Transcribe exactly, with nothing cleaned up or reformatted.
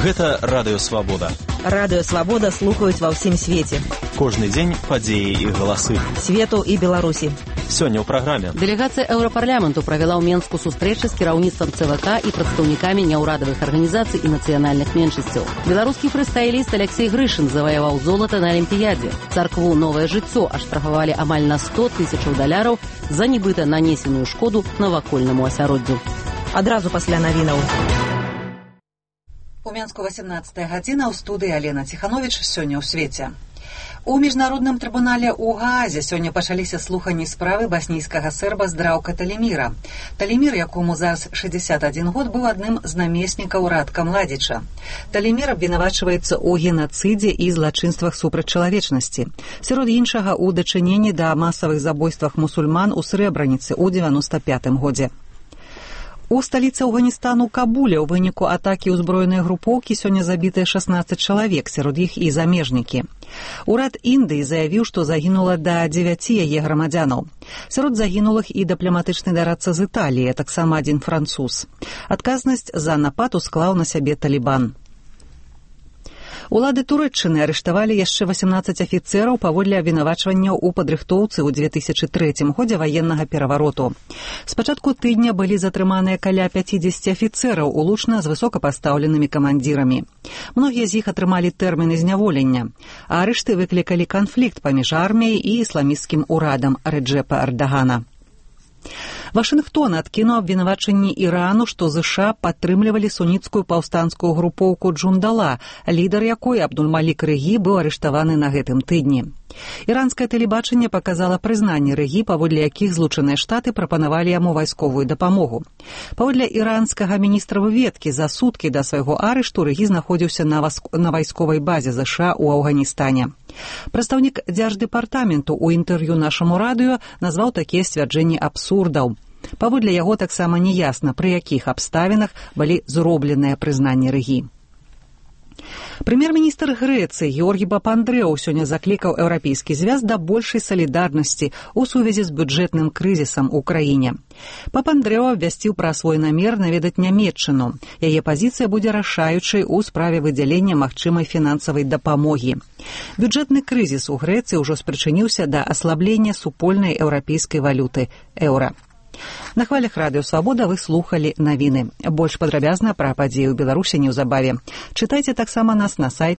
Гэта Радыё Свабода. Радыё Свабода слухаюць ва ўсім свеце. Кожны дзень падзеі і галасы. Свету і Беларусі. Сёння ў праграме. Дэлегацыя Еўрапарламенту правяла ў Менску сустрэчы з кіраўніцтвам ЦВК і прадстаўнікамі няўрадавых арганізацый і нацыянальных меншасцяў. Беларускі фрыстайліст Алексей Грышын заваяваў золата на Алімпіядзе. Царкву «Новае жыццё» аштрафавалі амаль на сто тысячаў даляраў за нібыта нанесеную шкоду навакольнаму асяроддзю. Адразу пасля навінаў. У Менску васямнадцатая гадзіна, ў студыі Алена Ціхановіч. Сёння ў свеце. У міжнародным трыбунале ў Гаазе сёння пачаліся слуханні справы баснійскага серба Здраўка Талеміра. Талемір, якому зараз шэсцьдзесят адзін год, быў адным з намеснікаў Радка Младзіча. Талемір абвінавачваецца ў генацыдзе і злачынствах супраць чалавечнасці. Сярод іншага, у дачыненні да масавых забойствах мусульман у Срэбраніцы ў дзевяноста пятым годзе. У сталіцы Афганістану Кабуле ў выніку атакі ўзброенай групоўкі сёння забітыя шаснаццаць чалавек, сярод іх і замежнікі. Урад Індыі заявіў, што загінула да дзевяці яе грамадзянаў. Сярод загінулых і дыпламатычны дарадца з Італіі, таксама адзін француз. Адказнасць за напад усклаў на сябе Талібан. Улады Турэччыны арыштавалі яшчэ васямнаццаць афіцэраў паводле абвінавачванняў у падрыхтоўцы ў две тысячы трэцім годзе ваеннага перавароту. З пачатку тыдня былі затрыманыя каля пяцідзесяці афіцэраў, улучна з высокапастаўленымі камандзірамі. Многія з іх атрымалі тэрміны зняволення, а арышты выклікалі канфлікт паміж арміяй і ісламісцкім урадам Рэджэпа Эрдагана. Вашынгтон адкінуў абвінавачанні Ірану, што ЗША падтрымлівалі суніцкую паўстанцкую групоўку Джундала, лідар якой Абдуль-Малік Рэгі быў арыштаваны на гэтым тыдні. Іранскае тэлебачанне паказала прызнанні Рэгі, паводле якіх Злучаныя Штаты прапанавалі яму вайсковую дапамогу. Паводле іранскага міністра выведкі, за суткі да свайго арышту Рэгі знаходзіўся на, васк... на вайсковай базе ЗША ў Афганістане. Прадстаўнік дзярждэпартаменту ў інтэрв'ю нашаму радыё назваў такія сцвярджэнні абсурдаў. Паводле яго таксама неясна, пры якіх абставінах былі зробленыя прызнанні Рэгі. Прэм'ер-міністр Грэцыі Георгі Папандрэў сёння заклікаў еўрапейскі звяз да большай салідарнасці ў сувязі з бюджэтным крызісам у краіне. Папандрэў абвясціў пра свой намер наведаць Нямецчыну. Яе пазіцыя будзе рашаючай у справе выдзялення магчымай фінансавай дапамогі. Бюджэтны крызіс у Грэцыі ўжо спрычыніўся да аслаблення супольнай еўрапейскай валюты еўра. На хвалях Радыё Свабода вы слухалі навіны. Больш падрабязна пра падзеі ў Беларусі неўзабаве. Чытайце таксама нас на сайце